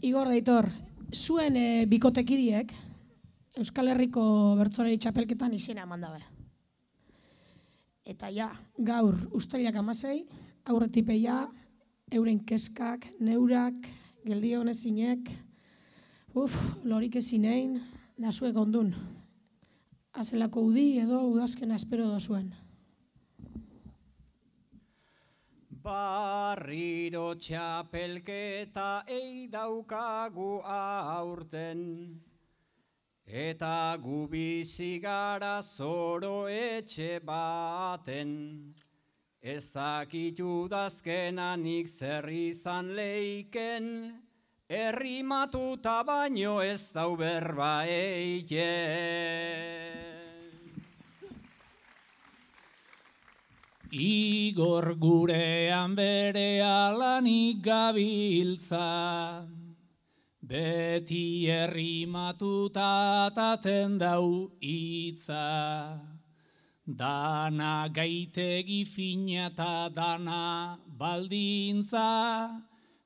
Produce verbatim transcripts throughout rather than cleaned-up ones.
Igor Deitor, zuen e, bikotekidiek Euskal Herriko bertsolari txapelketan izena eman dabe. Eta ja, gaur uztailak hamasei, aurretipeia, euren keskak, neurak, geldi honezinek, uf, lorik ezinein, da zuek ondun. Azelako udi edo udazkena espero dozuen. Barriro txapelketa ei daukagu aurten, eta gu bizi gara zoro etxe baten. Ez dakit udazkenanik zer izan leiken, errimatuta baino ez dau berba eiken. Igor gurean bere alanik gabiltza, beti errimatuta ataten dau hitza. Dana gaitegi fina eta dana baldintza,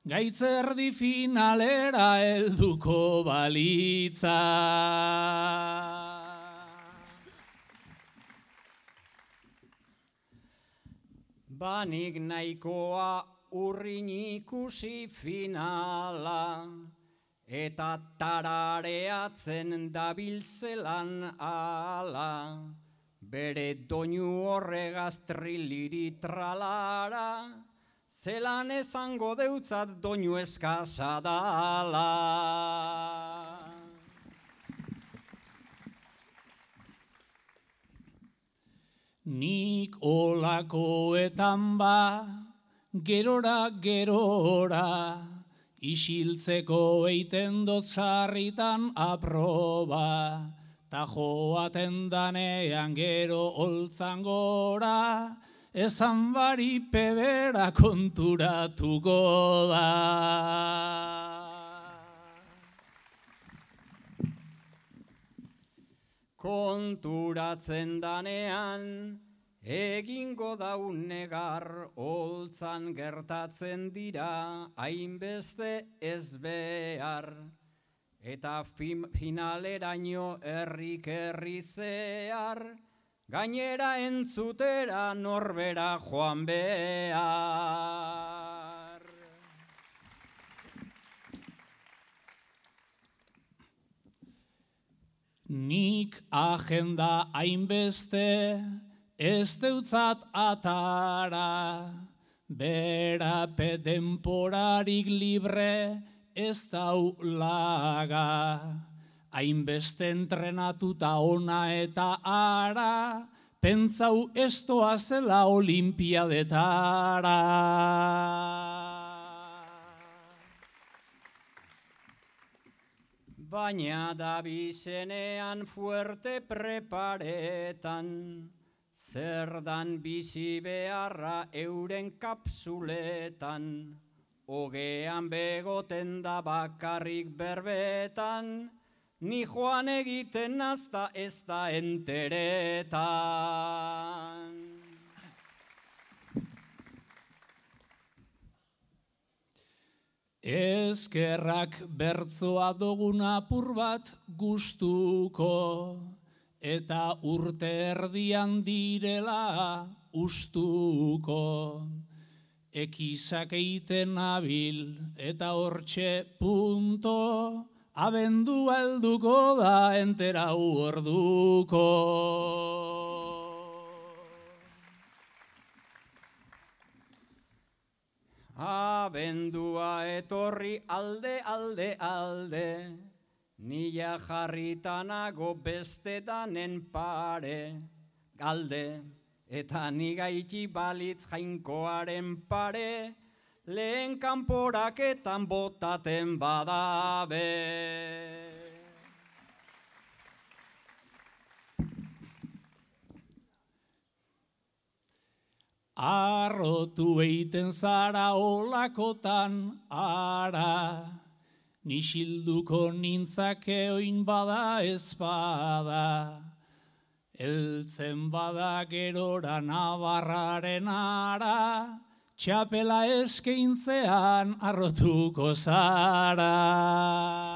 gaitzerdi finalera helduko balitza. Banik nahikoa urrin ikusi finala, eta tarareatzen dabiltzelan ala, bere doinu horregaz triliri tralara, zelan esango deutzat doinu eskasa dala. Nik olakoetan ba, gerora gerora, isiltzeko eiten dot sarritan aproba, ta joaten danean gero holtzan gora, esan bari pebera konturatuko da. Konturatzen danean, egingo daun negar, holtzan gertatzen dira, hainbeste ez behar. Eta finaleraino herrik herri zehar, gainera entzutera norbera joan behar. Nik agenda hainbeste ez deutzat atara, berape denporarik libre ez dau laga. Hainbeste entrenatuta ona eta ara, pentsau estoa zela olimpiadetara. Baina da bizenean fuerte preparetan, zer dan bizi beharra euren kapsuletan, ogean begoten da bakarrik berbetan, ni joan egiten nazta ez da enteretan. Ezkerrak bertzoa dugun apur bat gustuko, eta urte erdian direla ustuko. Ekizak eiten nabil eta hortxe punto, abendua helduko da enterau orduko. Abendua etorri alde, alde, alde, nila jarritanago beste danen pare, galde, eta nigaiti balitz jainkoaren pare, lehen kanporaketan botaten badabe. Arrotu eiten zara olakotan ara, nisilduko nintzake oin bada ezpada. Eltzen bada gerora nabarraren ara, txapela eskeintzean arrotuko zara.